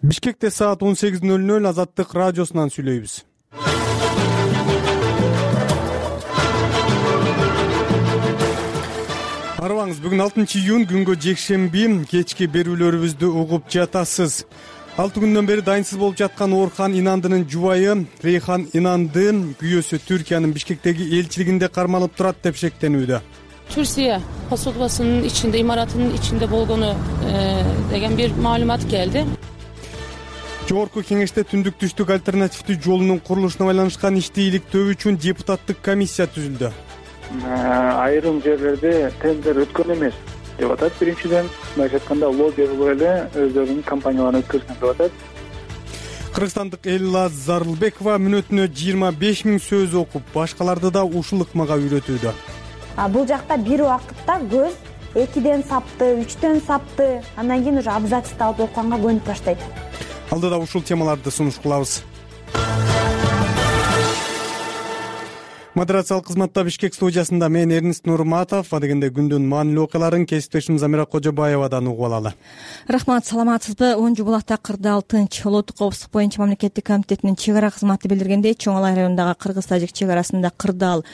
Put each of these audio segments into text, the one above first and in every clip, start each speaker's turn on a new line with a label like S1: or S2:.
S1: Бишкекте саат 18:00 Азаттык радиосунан сүйлөйбүз. Арыбаңыз, бүгүн 6-июнь күнгө жекшемби, кечки берүүлөрүбүздү угуп жатасыз. 6 күндөн бери дайынсыз болуп жаткан Орхан Инандынын жубайы Рейхан Инанды күйөөсү Түркиянын Бишкектеги элчилигинде кармалып турат деп шектенүүдө.
S2: Türkiye посольствосунун ичинде, имаратынын ичинде болгону деген бир маалымат келди.
S1: Жогорку кеңеште түндүк түштүк альтернативдүү жолунун курулушуна байланышкан ишти иликтөө үчүн депутаттык комиссия түзүлдү.
S3: Айрым жерлерде тендер өткөн эмес деп атат. Биринчиден, мындайча айтканда, лоббирлер эле өздөрүнүн компанияларын өткөргөн деп атат.
S1: Кыргызстандык Элла Зарылбекова мүнөтүнө 25 000 сөз окуп, башкаларды да ушул ыкмага үйрөтүүдө.
S4: Бул жакта бир убакытта көз 2ден сапты, 3дөн сапты, андан кийин уже абзацты алып окуганга көнүп баштайт.
S1: Алдыда ушул темаларды сунуш кылабыз. Модерациялык кызматта Бишкек студиясында мен Эрнист Нурматов, адегенде күндүн маанилүү окуяларын кесиптешим Замира Кожобаевадан угуп алалы.
S5: Рахмат, саламатсызбы? 10 булакта кырдаал тынч. Улуттук коопсуздук боюнча мамлекеттик комитетинин чек ара кызматы билдиргендей, Чоң Алай районундагы кыргыз-тажик чек арасында кырдаал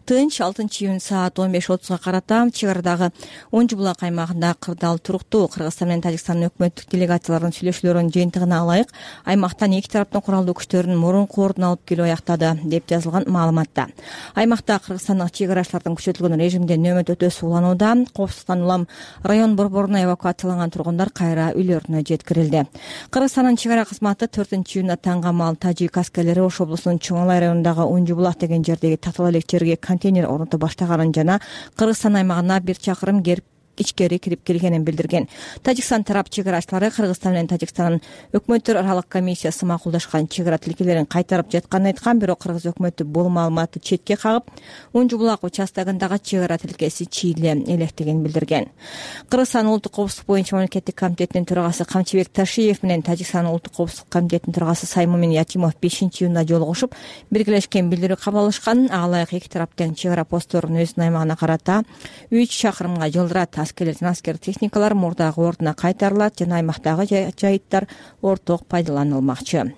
S5: тынч. 6-июнь саат 15:30 карата чек арадагы 10 булак аймагында кырдаал туруктуу. Кыргызстан менен Тажикстандын өкмөттүк делегацияларынын сүйлөшүүлөрүнүн жыйынтыгына алайык, аймактан эки тараптын куралдуу күчтөрүнүн мурунку ордун алып келүү аяктады, деп жазылган маалыматта. Аймакта кыргызстандык чек арачылардын күчөтүлгөн режимде нөөмөт өтөөсү уланууда. Коопсуздуктан улам район борборуна эвакуацияланган тургундар кайра үйлөрүнө жеткирилди. Кыргызстандын чек ара кызматы 4-июнда таңгамал тажик аскерлери Ош облусунун Чоң Алай районундагы 10 булак деген жердеги татаал элек жерге контейнер орното баштаганын жана Кыргызстан аймагына 1 чакырым ичкери кирип келгенин билдирген. Тажикстан тарап чек арачылары Кыргызстан менен Тажикстандын өкмөттөр аралык комиссиясы макулдашкан чек ара тилкелерин кайтарып жатканын айткан, бирок кыргыз өкмөтү бул маалыматты четке кагып, 10 булак участогундагы чек ара тилкеси чийле электигин билдирген. Кыргызстан улуттук коопсуздук боюнча мамлекеттик комитетинин төрагасы Камчыбек Ташиев менен Тажикстан улуттук коопсуздук комитетинин төрагасы Саймумин Ятимов 5-июнда жолугушуп, биргелешкен билдирүү кабыл алышкан. Алайык эки тараптын чек ара постторун өзүнүн аймагына карата 3 чакырымга жылдырат. Аскер техникалар мурдагы ордуна кайтарылат жана аймактагы жайыттар орток пайдаланылмакчы.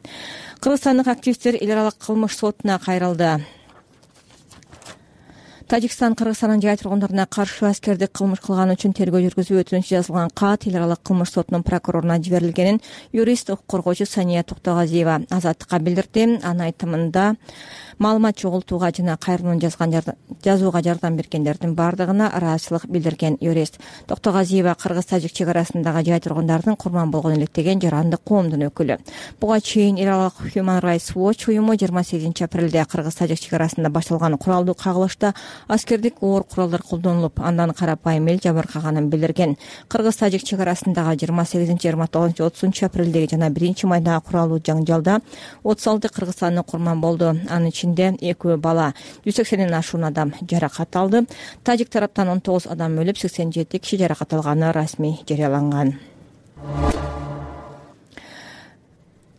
S5: Кыргызстандык активисттер эл аралык кылмыш сотуна кайрылды. Тажикстан Кыргызстандын жай тургундарына каршы аскердик кылмыш кылганы үчүн тергөө жүргүзүү өтүнүчү жазылган кат эл аралык кылмыш сотунун прокуроруна жиберилгенин юрист укук коргоочу Сания Токтогазиева Азаттыкка билдирди. Анын айтымында маалымат чогултууга жана кайрылууну жазууга жардам бергендердин бардыгына ыраазычылык билдирген юрист Токтогазиева Кыргыз-тажик чек арасындагы жай тургундардын курман болгон элек деген жарандык коомдун өкүлү. Буга чейин эл аралык Human Rights Watch уюму 28 апрелде Кыргыз-тажик чек арасында башталган куралдуу кагылышта аскердик оор куралдар колдонулуп, андан карапайым эл жабыркаганын билдирген. Кыргыз-тажик чек арасындагы 28, 29, 30 апрелдеги жана 1 майдагы куралдуу жаңжалда 36 кыргызстандык курман болду. Анын ичинде 2 бала, 180ден ашуун адам жаракат алды. Тажик тараптан 19 адам өлүп, 87 киши жаракат алганы расмий жарыяланган.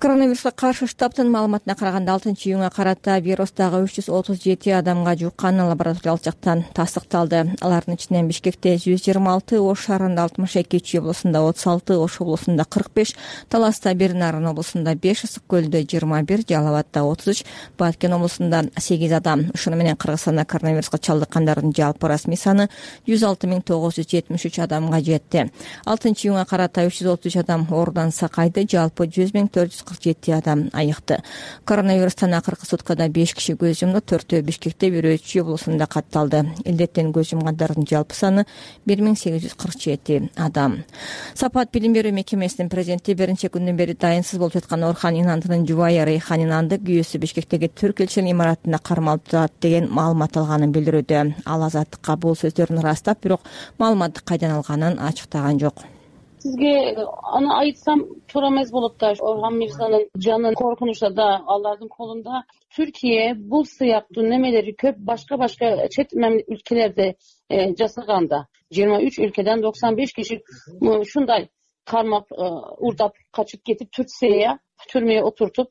S5: Коронавируска каршы штабтын маалыматына караганда 6-июнга карата вирустагы 337 адамга жукканы лабораториялык жактан тастыкталды. Алардын ичинен Бишкекте 126, Ош шаарында 62, Чүй облусунда 36, Ош облусунда 45, Таласта 1, Нарын облусунда 5, Ысык көлдө 21, Жалал Абадта 33, Баткен облусунда 8 адам. Ушуну менен Кыргызстанда коронавируска чалдыккандардын жалпы расмий саны 106 973 адамга жетти. 6-июнга карата 333 адам оорудан сакайды, жалпы 100 447 адам айыкты. Коронавирустан акыркы суткада 5 киши көз жумду, 4-өө Бишкекте, 1-өө Чүй облусунда катталды. Илдеттен көз жумгандардын жалпы саны 1847 адам. Сапат билим берүү мекемесинин президенти бир нече күндөн бери дайынсыз болуп жаткан Орхан Инандынын жубайы Рейхан Инанды күйөөсү Бишкектеги түрк элчилигинин имаратында кармалып турат деген маалымат алганын билдирүүдө. Ал Азаттыкка бул сөздөрүн ырастап, бирок маалыматты кайдан алганын ачыктаган жок.
S2: Сизге аны айтсам туура эмес болот да. Орхан Мирзанын жаны коркунучта да, алардын колунда. Түркия бул сыяктуу немелери көп башка чет өлкөлөрдө жасаганда 23 өлкөдөн 95 киши ушундай кармап, урдап качып кетип Турцияга түрмөгө отуртуп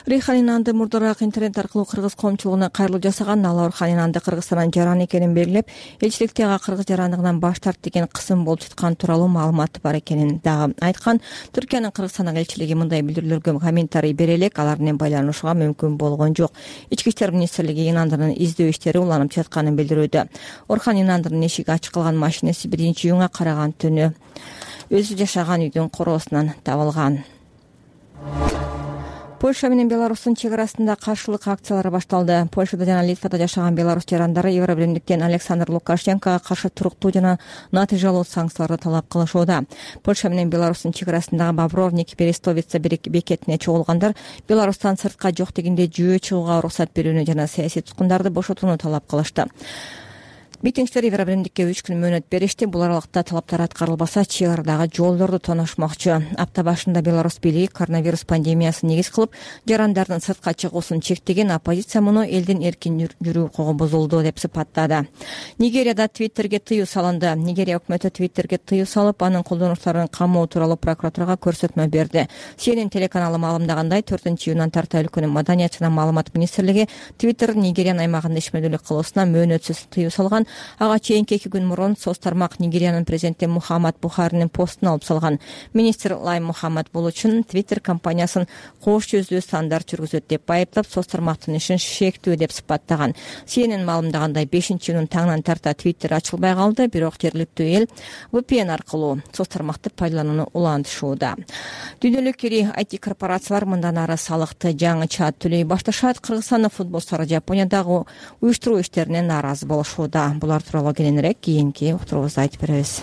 S5: Рейхан Инанды мурдараак интернет аркылуу кыргыз коомчулугуна кайрылуу жасаган. Ал Орхан Инанды Кыргызстандан жаран экенин белгилеп, элчиликте ага кыргыз жарандыгынан баш тарт деген кысым болуп жаткан тууралуу маалымат бар экенин дагы айткан. Түркиянын Кыргызстандагы элчилиги мындай билдирүүлөргө комментарий бере элек, алар менен байланышууга мүмкүн болгон жок. Ички иштер министрлиги Инандынын издөө иштери уланып жатканын билдирүүдө. Орхан Инандынын эшиги ачык калган машинеси 1-июнга караган түнү өзү жашаган үйдүн короосунан табылган. Польша менен Беларустун чек арасында каршылык акциялары башталды. Польшада жана Литвада жашаган беларус жарандары Евробиримдиктен Александр Лукашенкого каршы туруктуу жана натыйжалуу санкцияларды талап кылышууда. Польша менен Беларустун чек арасындагы Бобровник Берестовица бекетине чогулгандар Беларустан сыртка жок дегенде жөө чыгууга уруксат берүүнү жана саясий туткундарды бошотууну талап кылышты. Митингчилер Евробиримдикке 3 күн мөөнөт беришти. Бул аралыкта талаптар аткарылбаса, чек арадагы жолдорду тоношмокчу. Апта башында Беларусь бийлиги коронавирус пандемиясын негиз кылып, жарандардын сыртка чыгуусун чектеген. Оппозиция муну элдин эркин жүрүү укугу бузулду деп сыпаттады. Нигерияда Твиттерге тыюу салынды. Нигерия өкмөтү Твиттерге тыюу салып, анын колдонуучуларын камоо тууралуу прокуратурага көрсөтмө берди. CNN телеканалы маалымдагандай, 4-июндан тарта өлкөнүн маданият жана маалымат министрлиги Твиттер Нигериянын аймагында ишмердүүлүк кылуусуна мөөнөтсүз тыюу салган. Ага чейинки 2 күн мурун соц тармак Нигериянын президенти Мухаммад Бухаринин постун алып салган. Министр Лай Мухаммад бул үчүн Twitter компаниясын кош жүздүү стандарт жүргүзөт деп айыптап, соц тармактын ишин шектүү деп сыпаттаган. CNN маалымдагандай 5-июнун таңынан тарта Twitter ачылбай калды, бирок жергиликтүү эл VPN аркылуу соц тармакты пайдаланууну улантышууда. Дүйнөлүк ири IT корпорациялар мындан ары салыкты жаңыча төлөй башташат. Кыргызстандын футболчулары Жапониядагы уюштуруу иштерине нааразы болушууда. Булар тууралуу кийинирээк кийинки уктуруубузда айтып беребиз.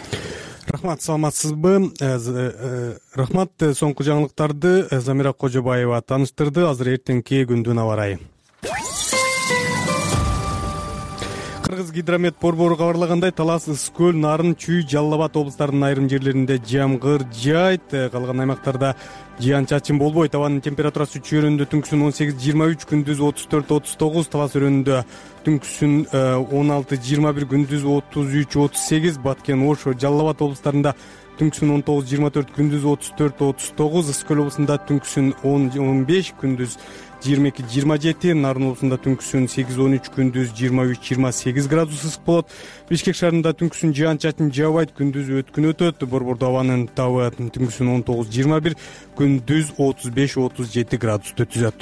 S1: Рахмат, саламатсызбы? Рахмат. Соңку жаңылыктарды Замира Кожобаева тааныштырды. Азыр эртеңки күндүн аба ырайы. Кыргыз гидромет борбору кабарлагандай, Талас, Ысык көл, Нарын, Чүй, Жалал Абад облустарынын айрым жерлеринде жамгыр жаайт. Калган аймактарда жаан-чачын болбойт. Абанын температурасы Чүй өрөөнүндө түнкүсүн 18-23, күндүз 34-39, Талас өрөөнүндө түнкүсүн 16-21, күндүз 33-38, Баткен, Ош, Жалал Абад облустарында түнкүсүн 19-24, күндүз 34-39, Ысык көл облусунда түнкүсүн 10-15, күндүз 22-27, Нарын облусунда түнкүсүн 8-13, күндүз 23-28 градус ысык болот. Бишкек шаарында түнкүсүн жаан-чачын жаабайт, күндүз өткүн өтөт. Борбордо абанын табы түнкүсүн 19-21, күндүз 35-37 градусты түзөт.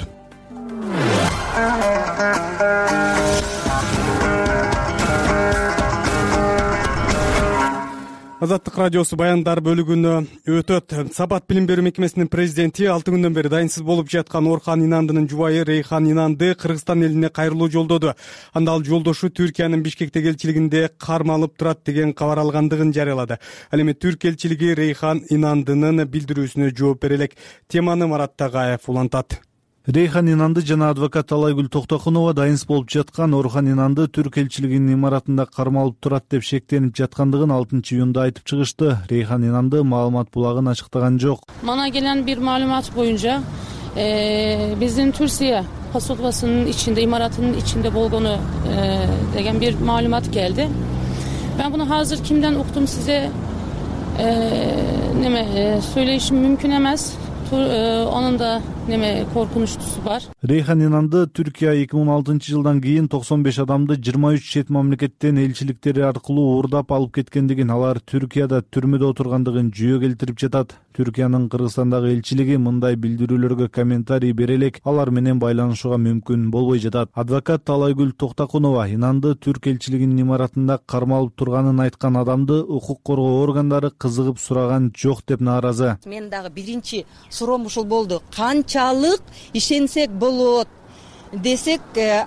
S1: Азаттык радиосу баяндар бөлүгүнө өтөт. Сапат билим берүү мекемесинин президенти 6 күндөн бери дайынсыз болуп жаткан Орхан Инандынын жубайы Рейхан Инанды Кыргызстан элине кайрылуу жолдоду. Анда ал жолдошу Түркиянын Бишкектеги элчилигинде кармалып турат деген кабар алгандыгын жарыялады. Ал эми Түрк элчилиги Рейхан Инандынын билдирүүсүнө жооп бере элек. Теманы Марат Тагаев улантат.
S6: Рейхан Инанды жана адвокат Талайгүл Токтокунова дайынсыз болуп жаткан Орхан Инанды Түрк элчилигинин имаратында кармалып турат деп шектенип жаткандыгын 6-июнда айтып чыгышты. Рейхан Инанды маалымат булагын ачыктаган жок.
S2: Мана gelen bir malumat boyunca bizim Türkiye посольствосунун içinde, imaratının içinde болгону деген bir malumat geldi. Ben bunu hazır kimden okudum size söyleyişim mümkün emez. Onun da korkunçlusu var.
S6: Reyhan Inanды Türkiye 2016-жылдан кийин 95 адамды 23 чет мамлекеттен элчиликтери аркылуу уурдап алып кеткендигин, алар Түркияда түрмөдө отургандыгын жүйө келтирип жатат. Түркиянын Кыргызстандагы элчилиги мындай билдирүүлөргө комментарий бере элек, алар менен байланышууга мүмкүн болбой жатат. Адвокат Талайгүл Токтокунова Инанды Түрк элчилигинин имаратында кармалып турганын айткан адамды укук коргоо органдары кызыгып сураган жок деп нааразы.
S7: Мен дагы биринчи суроом ушул болду. Канчалык ишенсек болот десек,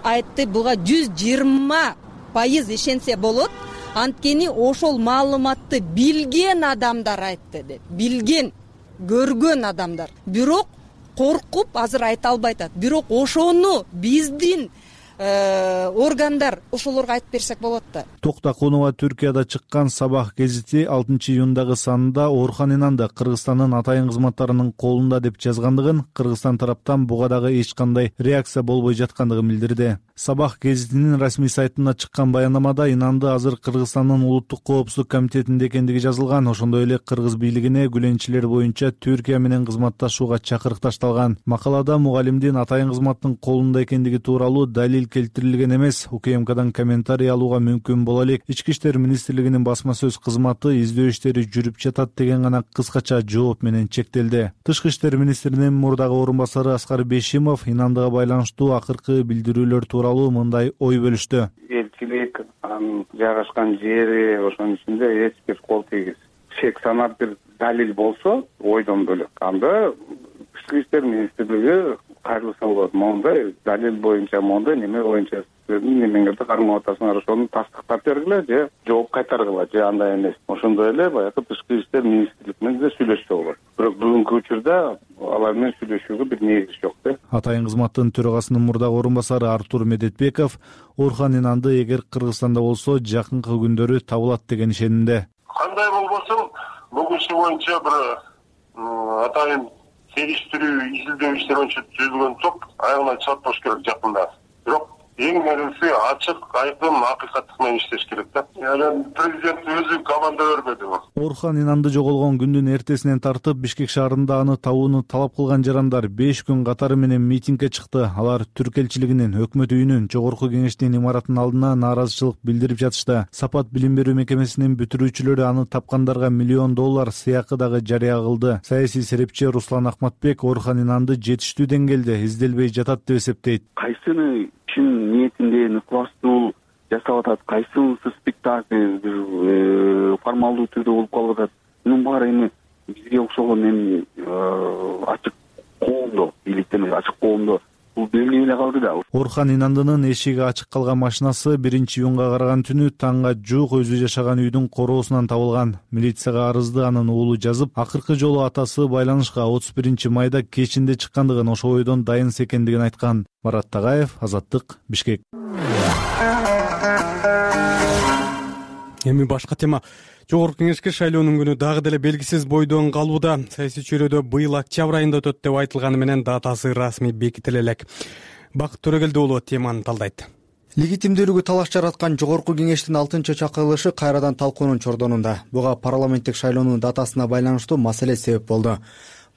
S7: айтты буга 120% ишенсе болот. Анткени ошол маалыматты билген адамдар айтты деп. Билген, көргөн адамдар. Бирок коркуп азыр айта албай атат. Бирок ошону биздин органдар ошолорго айтып берсек болот да.
S6: Токтакунова Түркияда чыккан Сабах гезити 6-июндагы санында Орхан Инанды Кыргызстандын атайын кызматтарынын колунда деп жазгандыгын, Кыргызстан тараптан буга дагы эч кандай реакция болбой жаткандыгын билдирди. Сабах гезитинин расмий сайтына чыккан баяндамада Инанды азыр Кыргызстандын улуттук коопсуздук комитетинде экендиги жазылган. Ошондой эле кыргыз бийлигине күлөнчүлөр боюнча Түркия менен кызматташууга чакырык ташталган. Макалада мугалимдин атайын кызматтын колунда экендиги тууралуу далил келтирилген эмес. УКМКдан комментарий алууга мүмкүн боло элек. Ички иштер министрлигинин басма сөз кызматы издөө иштери жүрүп жатат деген гана кыскача жооп менен чектелди. Тышкы иштер министринин мурдагы орун басары Аскар Бешимов Инандыга байланыштуу акыркы билдирүүлөр тууралуу мындай ой бөлүштү.
S8: Элчилик, анын жайгашкан жери, ошонун ичинде эч бир кол тийгиз шек санап бир далил болсо, ойдон бөлөк. Анда Тышкы иштер министрлиги кайрылса болот. Мондай далил боюнча мондай неме боюнча немеңерди кармап атасыңар, ошону тастыктап бергиле же жооп кайтаргыла же андай эмес. Ошондой эле баягы Тышкы иштер министрлиги менен да сүйлөшсө болот. Бирок бүгүнкү учурда алар менен сүйлөшүүгө бир негиз жок да.
S6: Атайын кызматтын төрагасынын мурдагы орун басары Артур Медетбеков Орхан Инанды эгер Кыргызстанда болсо жакынкы күндөрү табылат деген ишенимде.
S9: Кандай болбосун, бул иши боюнча бир атайын териштирүү, изилдөө иштери боюнча түзүлгөн топ аягына чаппаш керек жакында. Бирок эң мөөнөсү ачык, айкын, акыйкаттык менен иштеш керек да. Президент өзү команда бербеди.
S6: Орхан Инанды жоголгон күндүн эртесинен тартып Бишкек шаарында аны табууну талап кылган жарандар 5 күн катары менен митингге чыкты. Алар Түрк элчилигинин, өкмөт үйүнүн, жогорку кеңештин имаратынын алдына нааразычылык билдирип жатышты. Сапат билим берүү мекемесинин бүтүрүүчүлөрү аны тапкандарга $1 миллион сыйакы дагы жарыя кылды. Саясий серепчи Руслан Акматбек Орхан Инанды жетиштүү деңгээлде изделбей жатат деп эсептейт.
S10: Кайсыны чын ниетинде ыкластуу жасап атат, кайсынысы спектакль формалдуу түрдө болуп калып атат. Мунун баары эми бизге окшогон эми ачык коомдо, бийликтен ачык коомдо бул белгилей эле калды да.
S6: Орхан Инандынын эшиги ачык калган машинасы 1-июнга караган түнү таңга жуук өзү жашаган үйдүн короосунан табылган. Милицияга арызды анын уулу жазып, акыркы жолу атасы байланышка 31-майда кечинде чыккандыгын, ошол ойдон дайынс экендигин айткан. Марат Тагаев, Азаттык, Бишкек.
S1: Эми башка тема. Жогорку кеңешке шайлоонун күнү дагы деле белгисиз бойдон калууда. Саясий чөйрөдө быйыл октябрь айында өтөт деп айтылганы менен датасы расмий бекитиле элек. Бакыт Төрөгелди уулу теманы талдайт.
S11: Легитимдүүлүгү талаш жараткан жогорку кеңештин 6-чакырылышы кайрадан талкуунун чордонунда. Буга парламенттик шайлоонун датасына байланыштуу маселе себеп болду.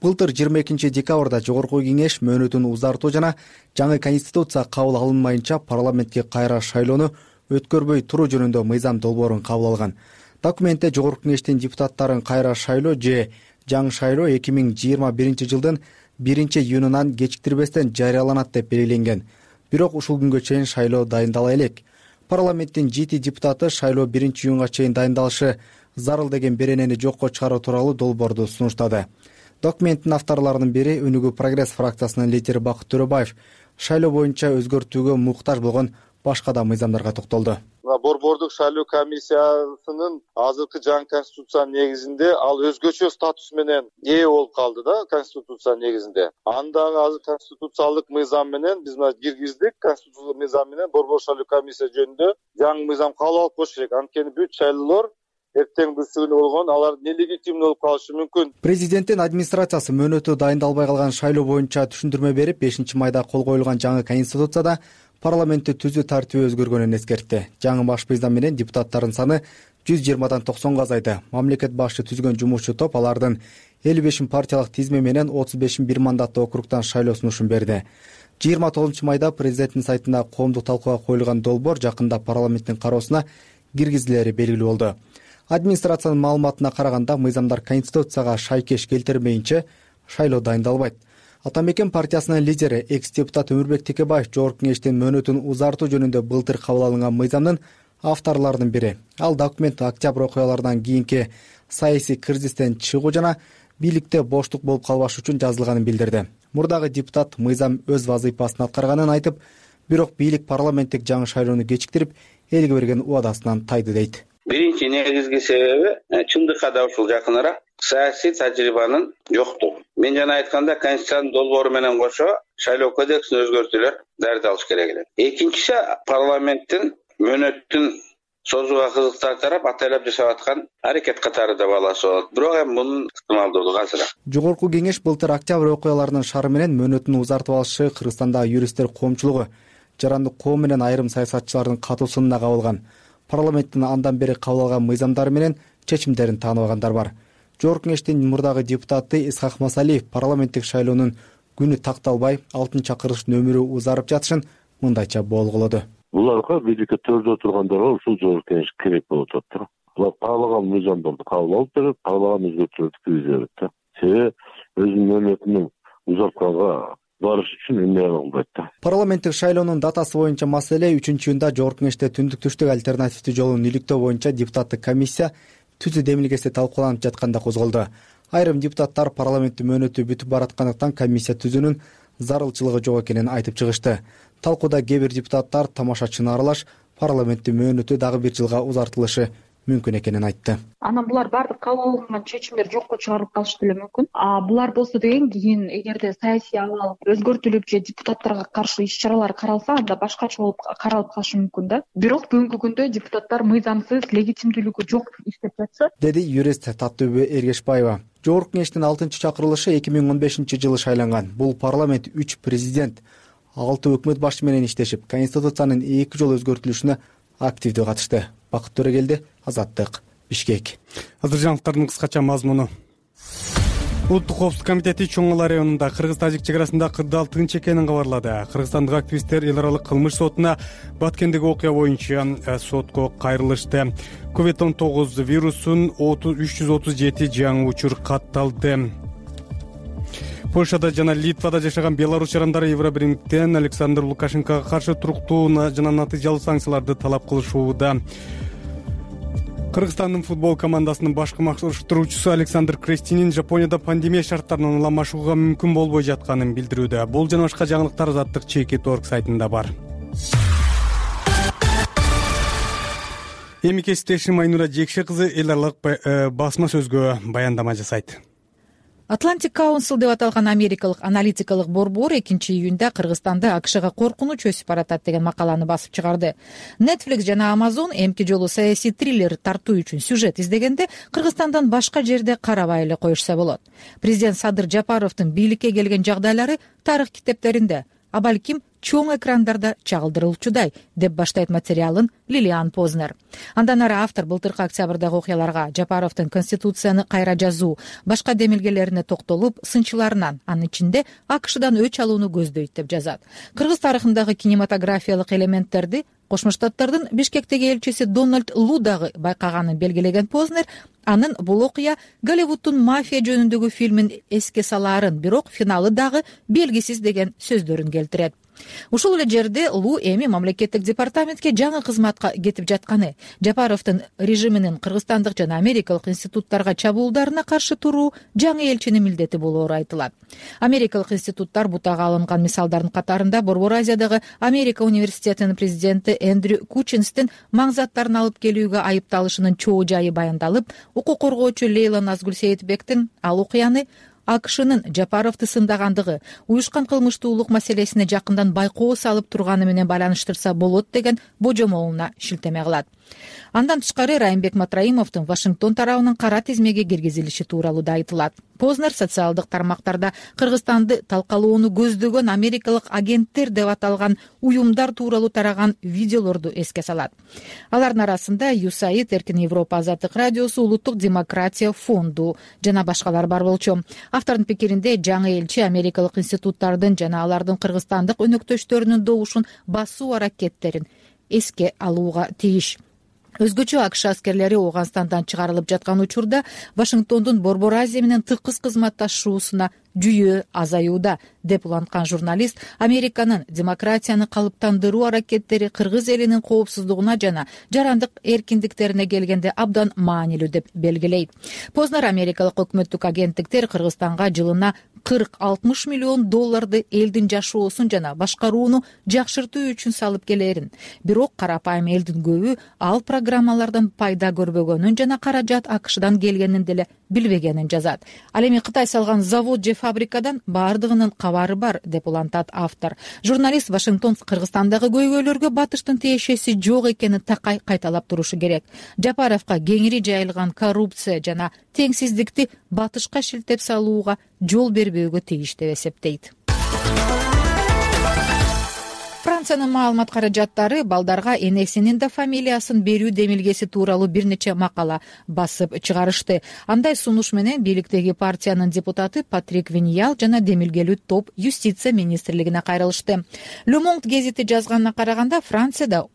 S11: Былтыр 22 декабрда жогорку кеңеш мөөнөтүн узартуу жана жаңы конституция кабыл алынмайынча парламентке кайра шайлоону өткөрбөй туруу жөнүндө мыйзам долбоорун кабыл алган. Документте жогорку кеңештин депутаттарын кайра шайлоо же жаңы шайлоо 2021 жылдын 1-июнунан кечиктирбестен жарыяланат деп белгиленген. Бирок ушул күнгө чейин шайлоо дайындала элек. Парламенттин 7 депутаты шайлоо 1-июнга чейин дайындалышы зарыл деген беренени жокко чыгаруу тууралуу долбоорду сунуштады. Документтин авторлорунун бири Өнүгүү Прогресс фракциясынын лидери Бакыт Төрөбаев шайлоо боюнча өзгөртүүгө муктаж болгон башка да мыйзамдарга токтолду.
S12: Борбордук шайлоо комиссиясынын азыркы жаңы конституциянын негизинде ал өзгөчө статус менен ээ болуп калды да, конституция негизинде. Андагы азыр конституциялык мыйзам менен биз мына киргиздик, конституциялык мыйзам менен борбор шайлоо комиссия жөнүндө жаңы мыйзам кабыл алып коюш керек. Анткени бүт шайлоолор эртең бүрсүгүнү болгон, алар нелегитимдүү болуп калышы мүмкүн.
S11: Президенттин администрациясы мөөнөтү дайындалбай калган шайлоо боюнча түшүндүрмө берип, 5-майда кол коюлган жаңы конституцияда парламентти түзүү тартиби өзгөргөнүн эскертти. Жаңы баш мыйзам менен депутаттардын саны 120дан 90га азайды. Мамлекет башы түзгөн жумушчу топ алардын 55 партиялык тизме менен 35 бир мандаттуу округтан шайлоо сунушун берди. 29 майда президенттин сайтында коомдук талкууга коюлган долбоор жакында парламенттин кароосуна киргизилери белгилүү болду. Администрациянын маалыматына караганда мыйзамдар конституцияга шайкеш келтирмейинче шайлоо дайындалбайт. Атамекен партиясынын лидери экс-депутат Өмүрбек Текебаев жогорку кеңештин мөөнөтүн узартуу жөнүндө былтыр кабыл алынган мыйзамдын авторлорунун бири. Ал документ октябрь окуяларынан кийинки саясий кризистен чыгуу жана бийликте боштук болуп калбаш үчүн жазылганын билдирди. Мурдагы депутат мыйзам өз вазыйпасын аткарганын айтып, бирок бийлик парламенттик жаңы шайлоону кечиктирип, элге берген убадасынан тайды дейт.
S13: Биринчи негизги себеби чындыкка да ушул жакыныраак саясий тажрыйбанын жоктугу. Мен жана айтканда конституциянын долбоору менен кошо шайлоо кодексин өзгөртүүлөр дарыдалыш керек эле. Экинчиси, парламенттин мөөнөтүн созууга кызыктар тарап атайлап жасап аткан аракет катары да баласы болот. Бирок эми мунун ыктымалдуулугу азыраак.
S11: Жогорку кеңеш былтыр октябрь окуяларынын шары менен мөөнөтүн узартып алышы Кыргызстандагы юристтер коомчулугу, жарандык коом менен айрым саясатчылардын катуусунда кабылган. Парламенттин андан бери кабыл алган мыйзамдары менен чечимдерин тааныбагандар бар. Жогорку кеңештин мурдагы депутаты Исхак Масалиев парламенттик шайлоонун күнү такталбай, 6-чакырылыштын өмүрү узарып жатышын мындайча болгулоду.
S14: Буларга бийликке төрдө отургандарга ушул жогорку кеңеш керек болуп атат. Булар каалаган мыйзамдарды кабыл алып берет, каалаган өзгөртүүлөрдү киргизе берет. Себеби өзүнүн мөөнөтүнүн узартканга барыш үчүн эмне кылбайт да.
S11: Парламенттик шайлоонун датасы боюнча маселе 3-июнда жогорку кеңеште түндүк-түштүк альтернативдүү жолун иликтөө боюнча депутаттык комиссия түзүү демилгеси талкууланып жатканда козголду. Айрым депутаттар парламенттин мөөнөтү бүтүп бараткандыктан комиссия түзүүнүн зарылчылыгы жок экенин айтып чыгышты. Талкууда кээ бир депутаттар тамашачыны аралаш парламенттин мөөнөтү дагы 1 жылга узартылышы мүмкүн экенин айтты.
S15: Анан булар баардык кабыл алынган чечимдер жокко чыгарылып калышы деле мүмкүн. Булар болсо деген кийин эгерде саясий абал өзгөртүлүп же депутаттарга каршы иш-чаралар каралса, анда башкача болуп каралып калышы мүмкүн да. Бирок бүгүнкү күндө депутаттар мыйзамсыз, легитимдүүлүгү жок иштеп жатса,
S11: деди юрист Таттыбү Эргешбаева. Жогорку кеңештин 6-чакырылышы 2015-жылы шайланган. Бул парламент 3 президент, 6 өкмөт башы менен иштешип, конституциянын 2 жолу өзгөртүлүшүнө активдүү катышты. Бакыт Төрөгелди, Азаттык, Бишкек.
S1: Азыр жаңылыктардын кыскача мазмуну. Улуттук коопсуздук комитети Чоң Ала районунда кыргыз-тажик чек арасында кырдаал тынч экенин кабарлады. Кыргызстандык активисттер эл аралык кылмыш сотуна Баткендеги окуя боюнча сотко кайрылышты. COVID-19 вирусун 337 жаңы учур катталды. Польшада жана Литвада жашаган белорус жарандары Евробиримдиктен Александр Лукашенкого каршы туруктуу жана натыйжалуу санкцияларды талап кылышууда. Кыргызстандын футбол командасынын башкы машыктыруучусу Александр Крестинин Жапонияда пандемия шарттарынан ыламашууга мүмкүн болбой жатканын билдирүүдө. Бул жана башка жаңылыктар Азаттык ЧК.org сайтында бар. Эми кесиптешим Айнура Жекше кызы эл аралык басма сөзгө баяндама жасайт.
S16: Atlantic Council деп аталган америкалык аналитикалык борбор 2-июнда Кыргызстанды АКШга коркунуч өсүп баратат деген макаланы басып чыгарды. Netflix жана Amazon эмки жолу саясий триллер тартуу үчүн сюжет издегенде Кыргызстандан башка жерде карабай эле коюшса болот. Президент Садыр Жапаровдун бийликке келген жагдайлары тарых китептеринде, а балким чоң экрандарда чагылдырылчудай деп баштайт материалын Лилиан Познер. Андан ары автор былтыркы октябрдагы окуяларга, Жапаровдун конституцияны кайра жазуу, башка демилгелерине токтолуп, сынчыларынан, анын ичинде АКШдан өч алууну көздөйт деп жазат. Кыргыз тарыхындагы кинематографиялык элементтерди Кошмо Штаттардын Бишкектеги элчиси Дональд Лу дагы байкаганын белгилеген Познер, анын бул окуя Голливуддун мафия жөнүндөгү фильмин эске салаарын, бирок финалы дагы белгисиз деген сөздөрүн келтирет. Ушул эле жерде Лу эми мамлекеттик департаментке жаңы кызматка кетип жатканы, Жапаровдун режиминин кыргызстандык жана америкалык институттарга чабуулдарына каршы туруу жаңы элчинин милдети болоору айтылат. Америкалык институттар бутага алынган мисалдардын катарында Борбор Азиядагы Америка университетинин президенти Эндрю Кучинстин маңзаттарын алып келүүгө айыпталышынын чоо жайы баяндалып, укук коргоочу Лейла Назгүл Сейитбектин ал окуяны АКШнын Жапаровду сындагандыгы, уюшкан кылмыштуулук маселесине жакындан байкоо салып турганы менен байланыштырса болот деген божомолуна шилтеме кылат. Андан тышкары Райымбек Матраимовдун Вашингтон тарабынын кара тизмеге киргизилиши тууралуу да айтылат. Познер социалдык тармактарда Кыргызстанды талкалоону көздөгөн америкалык агенттер деп аталган уюмдар тууралуу тараган видеолорду эске салат. Алардын арасында USAID, Эркин Европа азаттык радиосу, Улуттук демократия фонду жана башкалар бар болчу. Автордун пикиринде жаңы элчи америкалык институттардын жана алардын кыргызстандык өнөктөштөрүнүн добушун басуу аракеттерин эске алууга тийиш. Өзгөчө АКШ аскерлери Ооганстандан чыгарылып жаткан учурда Вашингтондун Борбор Азия менен тыкыз кызматташуусуна жүйө азаюуда деп уланткан журналист Американын демократияны калыптандыруу аракеттери кыргыз элинин коопсуздугуна жана жарандык эркиндиктерине келгенде абдан маанилүү деп белгилейт. Познер америкалык өкмөттүк агенттиктер Кыргызстанга жылына $40-60 миллион элдин жашоосун жана башкарууну жакшыртуу үчүн салып келерин, бирок карапайым элдин көбү ал программалардан пайда көрбөгөнүн жана каражат АКШдан келгенин деле билбегенин жазат. Ал эми Кытай салган завод же фабрикадан баардыгынын кабары бар, деп улантат автор. Журналист Вашингтон Кыргызстандагы көйгөйлөргө батыштын тиешеси жок экенин такай кайталап турушу керек. Жапаровго кеңири жайылган коррупция жана теңсиздикти батышка шилтеп салууга жол бербөөгө тийиш деп эсептейт. Франциянын маалымат каражаттары балдарга энесинин да фамилиясын берүү демилгеси тууралуу бир нече макала басып чыгарышты. Андай сунуш менен бийликтеги партиянын депутаты Патрик Виньял жана демилгелүү топ юстиция министрлигине кайрылышты. Le Monde гезити жазганына караганда, Францияда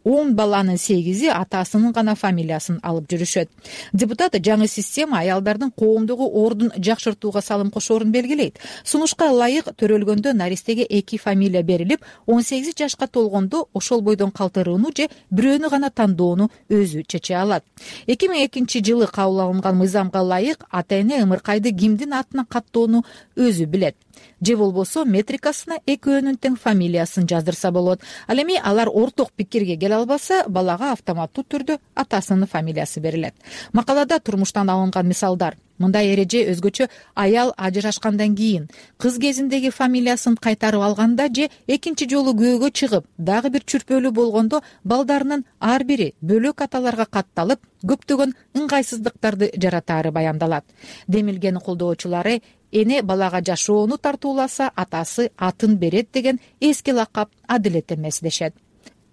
S16: 10 баланын 8-и атасынын гана фамилиясын алып жүрүшөт. Депутат жаңы система аялдардын коомдогу ордун жакшыртууга салым кошоорун белгилейт. Сунушка ылайык төрөлгөндө наристеге 2 фамилия берилип, 18 жашка толгондо ошол бойдон калтырууну же бирөөнү гана тандоону өзү чече алат. 2002-жылы кабыл алынган мыйзамга ылайык ата-эне ымыркайды кимдин атына каттоону өзү билет. Же болбосо метрикасына экөөнүн тең фамилиясын жаздырса болот. Ал эми алар орток пикирге келе албаса, балага автоматтуу түрдө атасынын фамилиясы берилет. Макалада турмуштан алынган мисалдар. Мындай эреже өзгөчө аял ажырашкандан кийин, кыз кезиндеги фамилиясын кайтарып алганда же экинчи жолу күйөөгө чыгып, дагы бир чүрпөлүү болгондо балдарынын ар бири бөлөк аталарга катталып, көптөгөн ыңгайсыздыктарды жаратаары баяндалат. Демилгени колдоочулары эне балага жашоону тартууласа, атасы атын берет деген эски лакап адилет эмес дешет.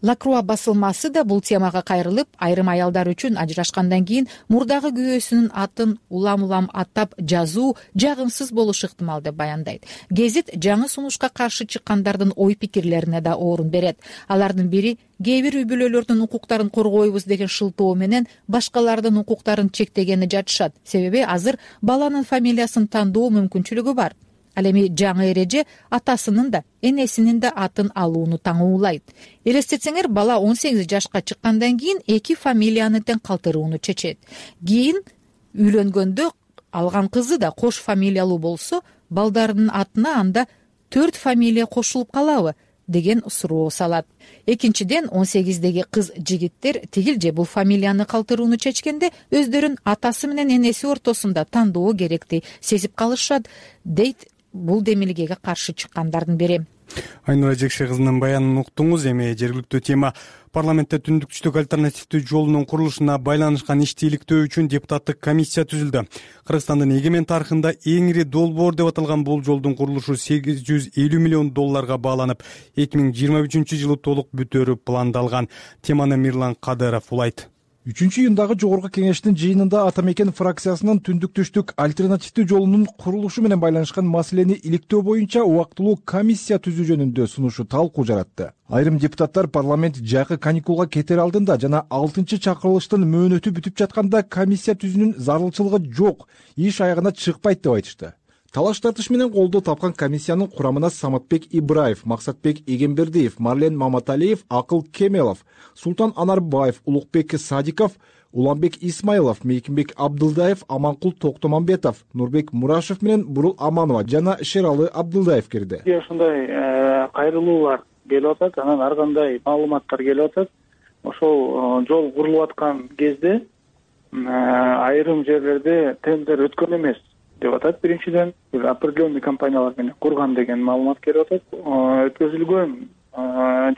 S16: Лакруа басылмасы да бул темага кайрылып, айрым аялдар үчүн ажырашкандан кийин мурдагы күйөөсүнүн атын улам-улам аттап жазуу жагымсыз болушу ыктымал деп баяндайт. Гезит жаңы сунушка каршы чыккандардын ой пикирлерине да орун берет. Алардын бири кээ бир үй бүлөлөрдүн укуктарын коргойбуз деген шылтоо менен башкалардын укуктарын чектегени жатышат. Себеби азыр баланын фамилиясын тандоо мүмкүнчүлүгү бар. Ал эми жаңы эреже атасынын да энесинин да атын алууну таңуулайт. Элестетсеңер, бала 18 жашка чыккандан кийин 2 фамилияны тең калтырууну чечет. Кийин үйлөнгөндө алган кызы да кош фамилиялуу болсо, балдарынын атына анда 4 фамилия кошулуп калабы деген суроо салат. Экинчиден, 18деги кыз жигиттер тигил же бул фамилияны калтырууну чечкенде өздөрүн атасы менен энеси ортосунда тандоо керекти сезип калышат, дейт бул демилгеге каршы чыккандардын бири.
S1: Айнура Жекше кызынын баянын уктуңуз. Эми жергиликтүү тема. Парламентте түндүк-түштүк альтернативдүү жолунун курулушуна байланышкан ишти иликтөө үчүн депутаттык комиссия түзүлдү. Кыргызстандын эгемен тарыхында эң ири долбоор деп аталган бул жолдун курулушу $850 миллион бааланып, 2023-жылы толук бүтөөрү пландалган. Теманы Мирлан Кадыров улайт.
S17: 3-июндагы жогорку кеңештин жыйынында Ата Мекен фракциясынын түндүк-түштүк альтернативдүү жолунун курулушу менен байланышкан маселени иликтөө боюнча убактылуу комиссия түзүү жөнүндө сунушу талкуу жаратты. Айрым депутаттар парламент жакы каникулга кетер алдында жана 6-чакырылыштын мөөнөтү бүтүп жатканда комиссия түзүүнүн зарылчылыгы жок, иш аягына чыкпайт деп айтышты. Талаш тартыш менен колдоо тапкан комиссиянын курамына Саматбек Ибраев, Максатбек Эгембердиев, Марлен Маматалиев, Акыл Кемелов, Султан Анарбаев, Улукбек Садиков, Уланбек Исмаилов, Мейкинбек Абдылдаев, Аманкул Токтомамбетов, Нурбек Мурашев менен Бурул Аманова жана Шералы Абдылдаев кирди.
S3: Ошондой кайрылуулар келип атат, анан ар кандай маалыматтар келип атат. Ошол жол курулуп аткан кезде айрым жерлерде тендер өткөн эмес деп атат. Биринчиден, определенный компаниялар менен курган деген маалымат келип атат. Өткөзүлгөн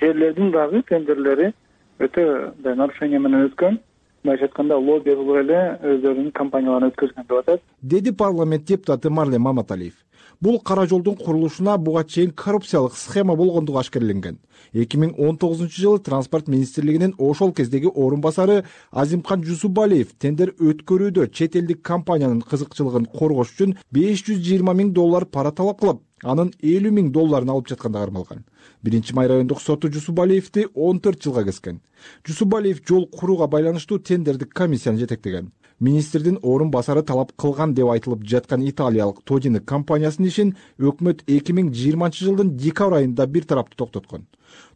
S3: жерлердин дагы тендерлери өтө нарушение менен өткөн. Башка айтканда, лобби кылып эле өздөрүнүн компанияларын өткөзгөн деп атат,
S17: деди парламент депутаты Марлен Маматалиев. Бул кара жолдун курулушуна буга чейин коррупциялык схема болгондугу ашкерленген. 2019-жылы транспорт министрлигинин ошол кездеги орун басары Азимкан Жусубалиев тендер өткөрүүдө чет элдик компаниянын кызыкчылыгын коргош үчүн $520 миң пара талап кылып, анын $50 миң алып жатканда кармалган. 1-Май райондук соту Жусубалиевди 14 жылга kesкен. Жусубалиев жол курууга байланыштуу тендердик комиссияны жетектеген. Министрдин орун басары талап кылган деп айтылып жаткан италиялык Тодини компаниясынын ишин өкмөт 2020-жылдын декабрь айында бир тараптуу токтоткон.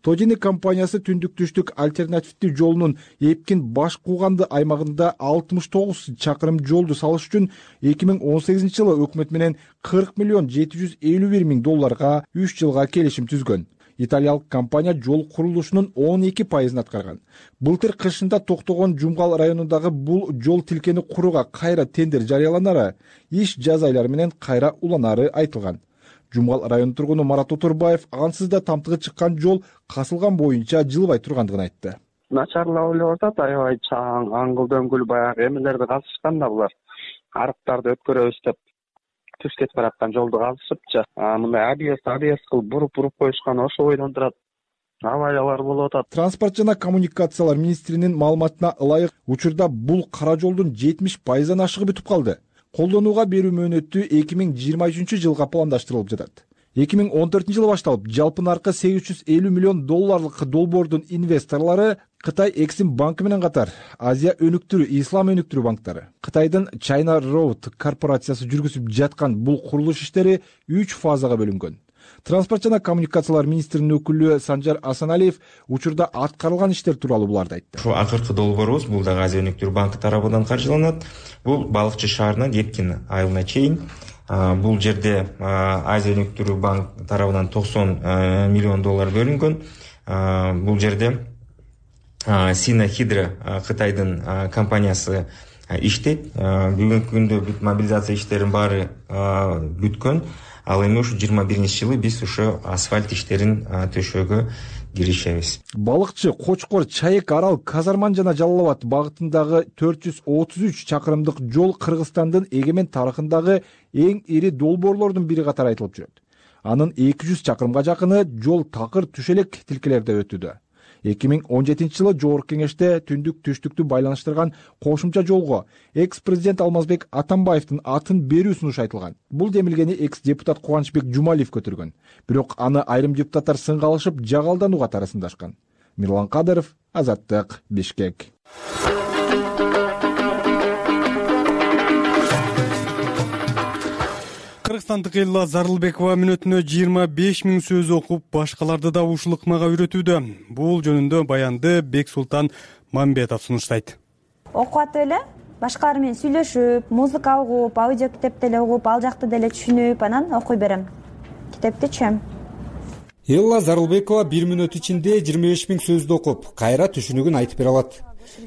S17: Тодини компаниясы түндүк-түштүк альтернативдүү жолунун Эпкин баш кууганды аймагында 69 чакырым жолду салыш үчүн 2018-жылы өкмөт менен $40,751 миң 3 жылга келишим түзгөн. Италиялык компания жол курулушунун 12% аткарган. Былтыр кышында токтогон Жумгал районундагы бул жол тилкени курууга кайра тендер жарыяланары, иш жаз айлары менен кайра уланары айтылган. Жумгал районунун тургуну Марат Отурбаев ансыз да тамтыгы чыккан жол касылган боюнча жылбай тургандыгын айтты.
S18: Начарлап эле атат, аябай чаң, аңгыл дөңгүл баягы эмелерди казышкан да булар. Арыктарды өткөрөбүз деп түз кетип бараткан жолду казышыпчы. Мындай абс кылып буруп коюшкан, ошо бойдон турат. Авариялар болуп атат.
S17: Транспорт жана коммуникациялар министринин маалыматына ылайык, учурда бул кара жолдун 70%-дан ашыгы бүтүп калды. Колдонууга берүү мөөнөтү 2023 жылга пландаштырылып жатат. 2014 жылы башталып, жалпы наркы $850 миллион долбоордун инвесторлору Кытай Эксим банкы менен катар Азия өнүктүрүү, Ислам өнүктүрүү банктары. Кытайдын China Road корпорациясы жүргүзүп жаткан бул курулуш иштери 3 фазага бөлүнгөн. Транспорт жана коммуникациялар министринин өкүлү Санжар Асаналиев учурда аткарылган иштер тууралуу буларды айтты.
S19: Ушул акыркы долбоорубуз бул дагы Азия өнүктүрүү банкы тарабынан каржыланат. Бул Балыкчы шаарынан Эркин айылына чейин. Бул жерде Азия өнүктүрүү банк тарабынан $90 миллион бөлүнгөн. Бул жерде Сина Хидро Кытайдын компаниясы иштейт. Бүгүнкү күндө бүт мобилизация иштеринин баары бүткөн. Ал эми ушу 21-жылы биз ушу асфальт иштерин төшөөгө киришебиз.
S17: Балыкчы, Кочкор, Чайык, Арал, Казарман жана Жалал Абад багытындагы 433 чакырымдык жол Кыргызстандын эгемен тарыхындагы эң ири долбоорлордун бири катары айтылып жүрөт. Анын 200 чакырымга жакыны жол такыр түшелек тилкелерде өтүүдө. 2017 жылы Жогорку Кеңеште түндүк түштүктү байланыштырган кошумча жолго экс-президент Алмазбек Атамбаевдин атын берүү сунушу айтылган. Бул демилгени экс-депутат Кубанычбек Жумалиев көтөргөн. Бирок аны айрым депутаттар сынга алышып, жагалдануу катары сындашкан. Мирлан Кадыров, Азаттык, Бишкек.
S1: Кыргызстандык Элла Зарылбекова мүнөтүнө 25 000 сөз окуп, башкаларды да ушул ыкмага үйрөтүүдө. Бул жөнүндө баянды Бексултан Мамбетов сунуштайт.
S4: Окуп атып эле, башкалар менен сүйлөшүп, музыка угуп, аудио китеп деле угуп, ал жакты деле түшүнүп, анан окуй берем. Китепти
S20: Элла Зарылбекова 1 мүнөт ичинде 25 000 сөздү окуп, кайра түшүнүгүн айтып бере алат.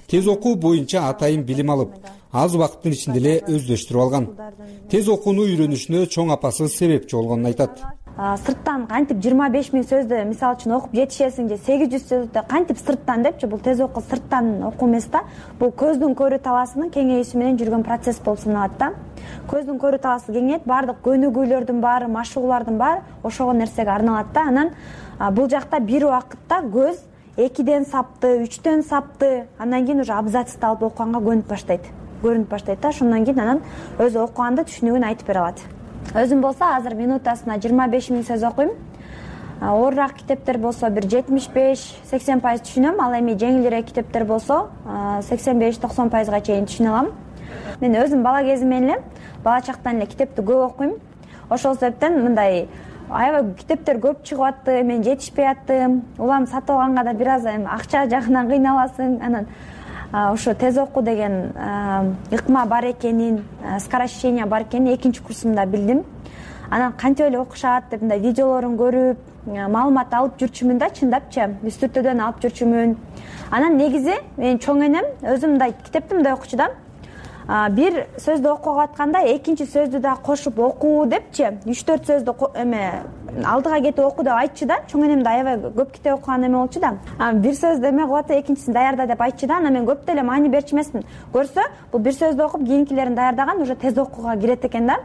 S20: Тез окуу боюнча атайын билим алып, аз убакыттын ичинде эле өздөштүрүп алган. Тез окууну үйрөнүшүнө чоң апасы себепчи болгонун айтат.
S4: Сырттан кантип 25 000 сөздү мисалы үчүн окуп жетишесиң же 800 сөздү кантип сырттан депчи, бул тез окуу сырттан окуу эмес да. Бул көздүн көрүү талаасынын кеңейүүсү менен жүргөн процесс болуп саналат да. Көздүн көрүү талаасы кеңейет, баардык көнүгүүлөрдүн баары, машыгуулардын баары ошого нерсеге арналат да. Анан бул жакта бир убакытта көз 2ден сапты, 3дөн сапты, андан кийин уже абзацты алып окуганга көрүнүп баштайт да. Ошондон кийин анан өзү окуганды түшүнүгүн айтып бере алат. Өзүм болсо азыр минутасына 25 000 сөз окуйм. Оорураак китептер болсо бир 75-80% түшүнөм, ал эми жеңилирээк китептер болсо 85-90%га чейин түшүнө алам. Мен өзүм бала кезимден эле, бала чактан эле китепти көп окуйм. Ошол себептен мындай аябай китептер көп чыгып атты, мен жетишпей аттым. Улам сатып алганга да бир аз акча жагынан кыйналасың. Анан ошо тез окуу деген ыкма бар экенин, скорочтение бар экенин экинчи курсумда билдим. Анан кантип эле окушат деп мындай видеолорун көрүп, маалымат алып жүрчүмүн да, чындапчы, үстүртөдөн алып жүрчүмүн. Анан негизи мен чоң энем өзүм мындай китепти мындай окучу да. Бир сөздү окуп атканда экинчи сөздү да кошуп окуу депчи, 3-4 сөздү алдыга кетип окуу деп айтчу да. Чоң энем да аябай көп китеп окуган эме болчу да. Бир сөздү эме кылып атып, экинчисин даярда деп айтчу да. Анан мен көп деле маани берчү эмесмин. Көрсө, бул бир сөздү окуп, кийинкилерин даярдаган, уже тез окууга кирет экен да.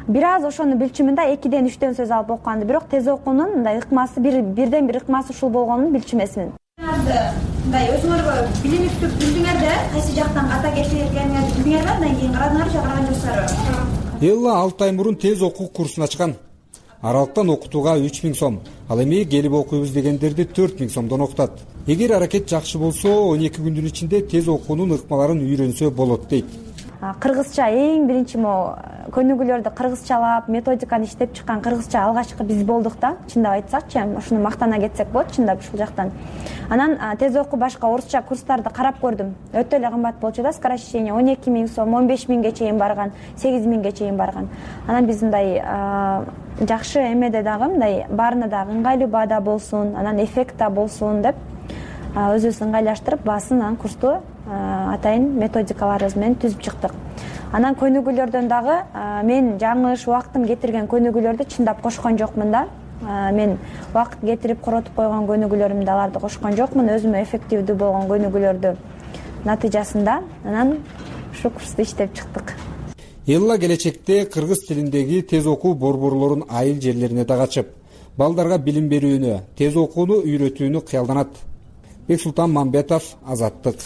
S4: Бир аз ошону билчүмүн да, 2ден 3дөн сөз алып окуганды. Бирок тез окуунун мындай ыкмасы бирден бир ыкмасы ушул болгонун билчү эмесмин. Мындай өзүңөргө билиниптүү билдиңерде, кайсы жактан ката кетиргениңерди билдиңерби? Андан кийин карадыңарбы же караган жоксуздарбы?
S20: Элла 6 ай мурун тез окуу курсун ачкан. Аралыктан окутууга 3 000 сом. Ал эми келип окуйбуз дегендерди 4 000 сомдон окутат. Эгер аракет жакшы болсо, 12 күндүн ичинде тез окуунун ыкмаларын үйрөнсө болот дейт.
S4: кыргызча эң биринчи могу көнүгүүлөрдү кыргызчалап методиканы иштеп чыккан кыргызча алгачкы биз болдук да, чындап айтсакчы, ушуну мактана кетсек болот чындап ушул жактан. Анан тез окуу башка орусча курстарды карап көрдүм. Өтө эле кымбат болчу да, сокращение 12 000 сом, 15 000ге чейин барган, 8 000ге чейин барган. Анан биз мындай жакшы эмеде дагы мындай баарына дагы ыңгайлуу баада болсун, анан эффект да болсун деп өзүбүз ыңгайлаштырып баасын анан курсту атайын методикаларыбыз менен түзүп чыктык. Анан көнүгүүлөрдөн дагы мен жаңылыш убактым кетирген көнүгүүлөрдү чындап кошкон жокмун да. Мен убакыт кетирип коротуп койгон көнүгүүлөрүмдү аларды кошкон жокмун, өзүмө эффективдүү болгон көнүгүүлөрдү натыйжасында анан ушу курсту иштеп чыктык.
S20: Элла келечекте кыргыз тилиндеги тез окуу борборлорун айыл жерлерине дагы ачып, балдарга билим берүүнү, тез окууну үйрөтүүнү кыялданат. Бексултан Мамбетов, Азаттык.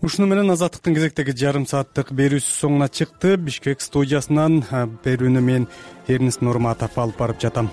S1: Ушуну менен Азаттыктын кезектеги жарым сааттык берүүсү соңуна чыкты. Бишкек студиясынан берүүнү мен Эрнест Нурматов алып барып жатам.